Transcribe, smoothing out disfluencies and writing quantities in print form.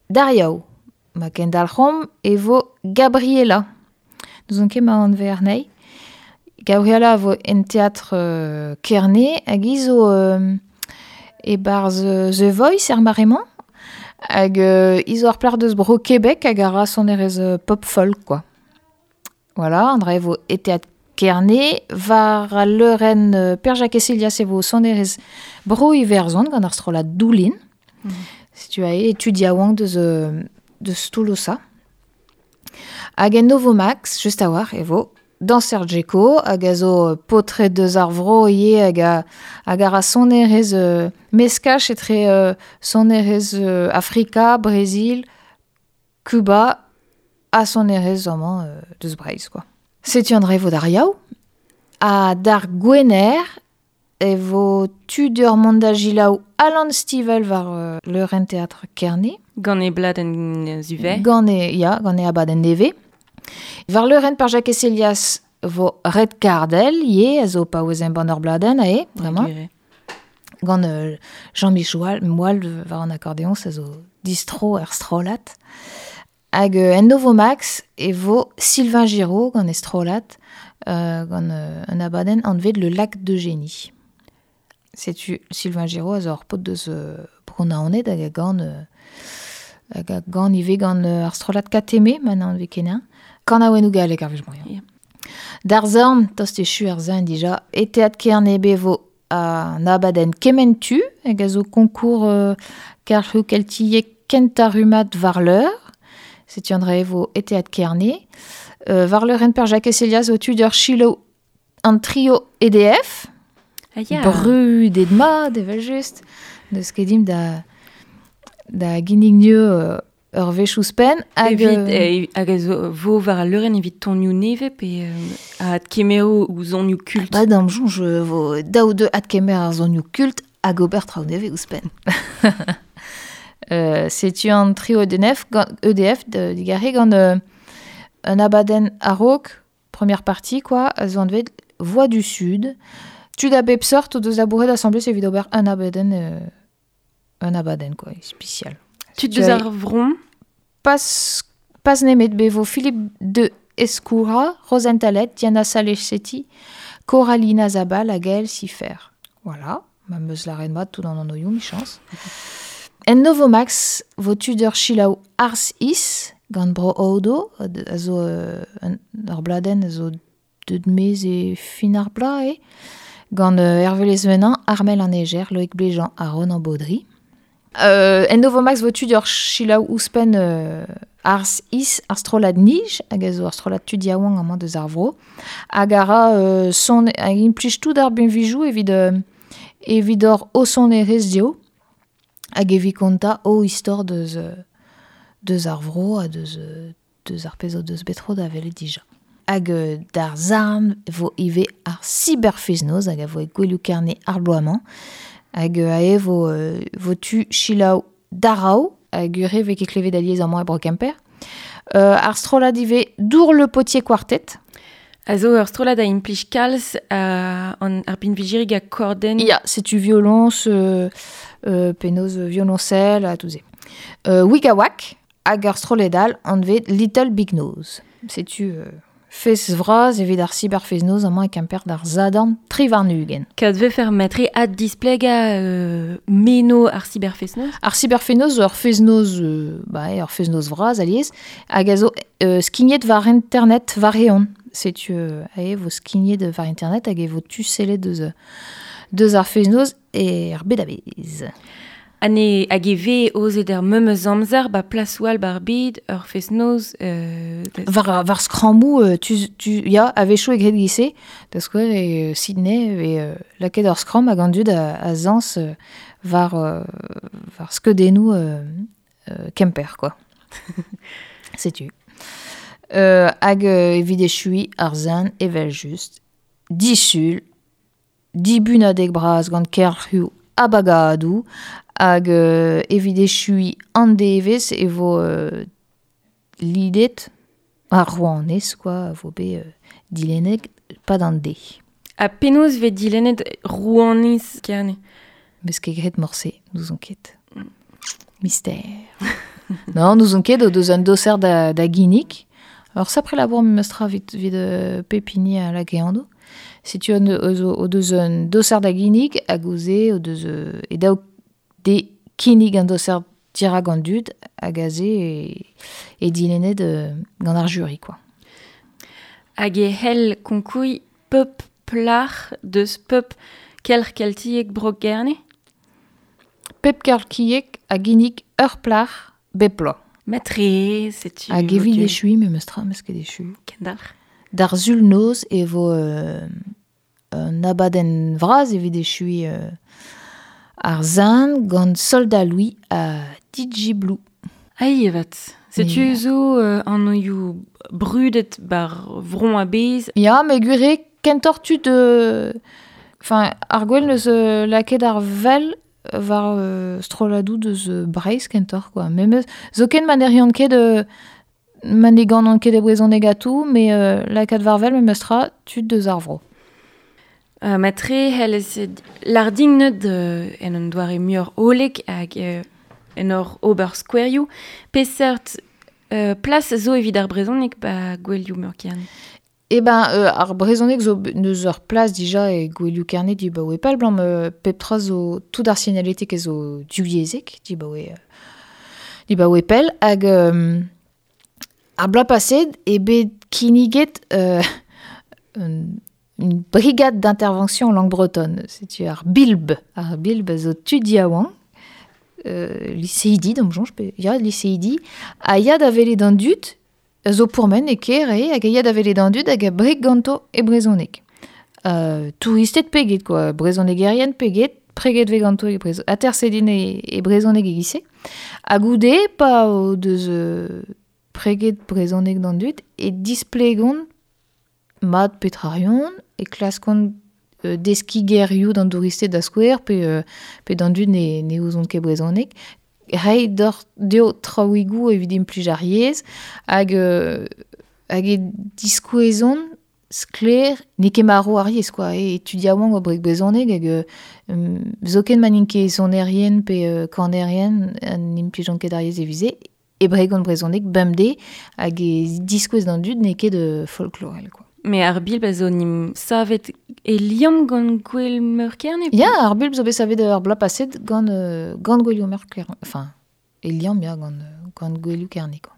D'ar Yaou, ma kendalc'homp e vo Gabriela. N'ouzon ket ma anv anezhi. Gabriela a vo en teatr Kerne hag hi zo e-barzh The Voice er mare-mañ. Hag hi zo ar plac'h deus bro Québec hag a ra sonerezh pop folk quoi. Voilà, an dra e vo e teatr Kerne. War al leurenn Per-Jakez Helias e vo sonerezh bro Iwerzhon gant ar strollad Doulin. Setu aze tud yaouank deus, deus Tolosa. Hag en Novomax, just a-walc'h, e vo Danser Djeko, hag a zo paotred deus ar vro ivez hag a, hag a ra sonerezh meskaj etre sonerezh Afrika, Brezil, Kuba ha sonerezh amañ deus Breizh quoi. Setu an dra e vo d'ar Yaou. Ha d'ar Gwener e vo tu deoc'h mont da selaou Alan Stivell war leurenn teatr Kerne. Gant e bladenn zuvez. Gant e, ya, gant e abadenn nevez. War leurenn par Jakez Helias vo Red Cardell ivez, a zo paouez embann ur bladenn aze, bremañ. Gant Jean-Michel Moal war an akordeoñs a zo distro er strollad. Hag en Novomax e vo Sylvain Giraud gant e strollad, gant un abadenn anvet Le Lac d'Eugénie. Setu Sylvain Giraud a zo ur paotr deus Bro-Naoned hag a gan hag a gan ivez gant ar strollad Kateme, ma n'anvez ket eñ. Kanaouennoù gallek ar wech-mañ. Yeah. D'ar zorn, tost echu ar zorn dija, e teatr Kerne be vo an abadenn Kement tu, hag a zo koñkour kelc'hioù keltiek kentañ rummad war leur. Setu an dra e vo e teatr Kerne. War leurenn Per Jakez Helias o tud ur selaou an trio EDF. Ah, ya. Brudet mat evel-just. N'eus ket dimp da, da ginnig mieux ur wech ouzhpenn. Hag, evit, hag a zo vo war al leurenn evit tonioù nevez pe a adkemero ou zonioù kult? Ba d'am soñj vo daou deu adkemer ar zonioù kult hag ober traoù nevez ouzhpenn. Setu an trio EDF, gant, EDF digarez gant un abadenn a-raok, première partie quoi, a zo anvet Voix du Sud. Tud a bep seurt o deus labouret asambles evit ober un abadenn un abadenn quoi, ispisial. Tud deus ar vron? Pas, pas nemet be vo Philippe de Escoura, Rozenn Talet, Diana Salesetti, Coralina Zabal hag Gaël Sifer. Voilà, ma 'm eus lâret mat tout an anvioù, 'michañs. En Novomax vo tud ur selaou Ars Is gant Bro Odo, a zo ur bladenn a zo deuet maez e fin ar bloaz eo, gant Hervé Lesvenin, Armel an Eger, Loïc Bléjean ha Ronan Baudry. En Novomax vo tud ur selaou ouzhpenn Ars Is, ar strollad Nij, hag a zo ur strollad tud yaouank amañ deus ar vro, hag a ra son hag implij tout ar binvioù evit evit hor o sonerezh dezho, hag evit kontañ o istor deus deus ar vro ha deus deus ar pezh o deus bet tro da welet dija. Hag d'ar zarn vo ivez ar cyberfest-noz hag a vo e Gouelioù Kerne ar bloaz-mañ. Hag aze vo, vo tu selaou Daraou, hag ur re vez ket klevet alies amañ e Bro Kemper. Ar strollad ivez Dour le Potier Quartet. A zo ur strollad a implij kalz an ar binvijirig a kordenn. Ya, setu violoñs, penaos violoñsel ha tout se. Wigawak, Hag ur strollad all anvet Little Big Nose. Setu fest vras evit ar cyberfest-noz amañ e Kemper d'ar Sadorn 23. Kad vefe matre addisplegañ meno ar cyberfest-noz? Ar cyberfest-noz zo ur fest-noz, bah, ur fest-noz vras alies, hag a zo skignet war internet war-eeun. Setu e vo skignet war internet hag e vo tu sellet deus, deus ar fest-noz er bed a-bezh. Ha ne hag e vez aozet er memes amzer ba plasoù all ba'r bed ur fest-noz War, war skrammoù, tu, tu, ya, a-wechoù e graet giz-se. Da skouer e Sydney e vez lakaet ur skramm hag an dud a, a zañs war, war skeudennoù Kemper, quoi. Setu. Hag evit echuiñ ar zen, evel-just, disul, Dibunadeg bras gant kelc'hioù ha bagadoù hag evit echuiñ an devezh e vo lidet ar rouanez quoi a vo bet dilennet 'pad an deiz. Ha penaos 'vez dilennet rouanez Kerne? 'Meus ket graet morse, n'ouzon ket. Mystère. Non, n'ouzon ket o deus un doser da ginnig. Alors sapre labour memestra vit pepini a la geando. Setu an o deus un doser da ginnig hag oze o deus e daou de kinnig an doser dirak an dud hag aze e dilennet gant ar jury, quoi. Hag e hell konkoui pep plar deus pep kelc'h keltiek bro Gerne? Pep kelc'hiek a ginnig ur plar bep bloaz. Matre, setu... Hag evit echui, memestra, meus ket echui. Kendalc'h. D'ar zul noz e vo un abadenn vras evit echui ar zan gant Soldat Louis a DJ Blue. Ai evet. Setu zo an oioù brudet bar vron a bez. Ya, me gwir kentoc'h tud... Enfin, ar gwell neus lakaet ar vel war strolladou deus Breizh kentoc'h, quoi. Memes, zoken ma n'eriont ket ma ne ganan ket e brezhoneg atou, me lakaat war vel memes tra tud deus ar vro. Matre hellez lardingnet en un doare muioc'h hollek hag en ur ober skouerioù. Peseurt plas zo evit ar brezhoneg ba gwelioù meur Kerne? Eh ben, ar brezhoneg zo neus ur plas dija e gwelioù Kerne di ba oe pell blam pep tra zo tout ar signaletik e zo divyezhek di ba oe pell hag ar bloaz paset e bet kinniget une brigade d'intervention en langue bretonne. Setu ar bilb. Ar bilb zo tud yaouank, lycéidi, da'm soñj, pe ya, lycéidi, a ya da welet an dud, zo pourmen e kêr eo, hag a ya da welet an dud hag a breg ganto e brezhoneg. Touristed peget, quoi, brezhonegerien peget, preget ve ganto e brezhoneg, atersedin e brezhoneg e gise. Ha goude, pa o deus preget brezhoneg d'an dud, e displegont mat petrarion, e klaskont deski gerioù d'an touristed da skouer, pe d'an dud ne ouzont ket brezhoneg. Rei d'or deo traouigoù evit implij ar yezh, hag e diskouezont sklaer n'eo ket marv ar yezh, quoi. E tud yaouank o breg brezhoneg hag zoken ma n'int ket sonerien pe kanerien an implijont ket ar yezh evize, e bregont brezhoneg bemdez hag e diskouez d'an dud n'eo ket folklorel, quoi. Mais ar bilb a zo nim savet e liamm gant Gwel Meur Kerne? Ya, ar bilb zo bet savet ar bloaz paset gant Gwelioù Meur Kerne. Enfin, e liamm, ya, gant Gwelioù Kerne, quoi.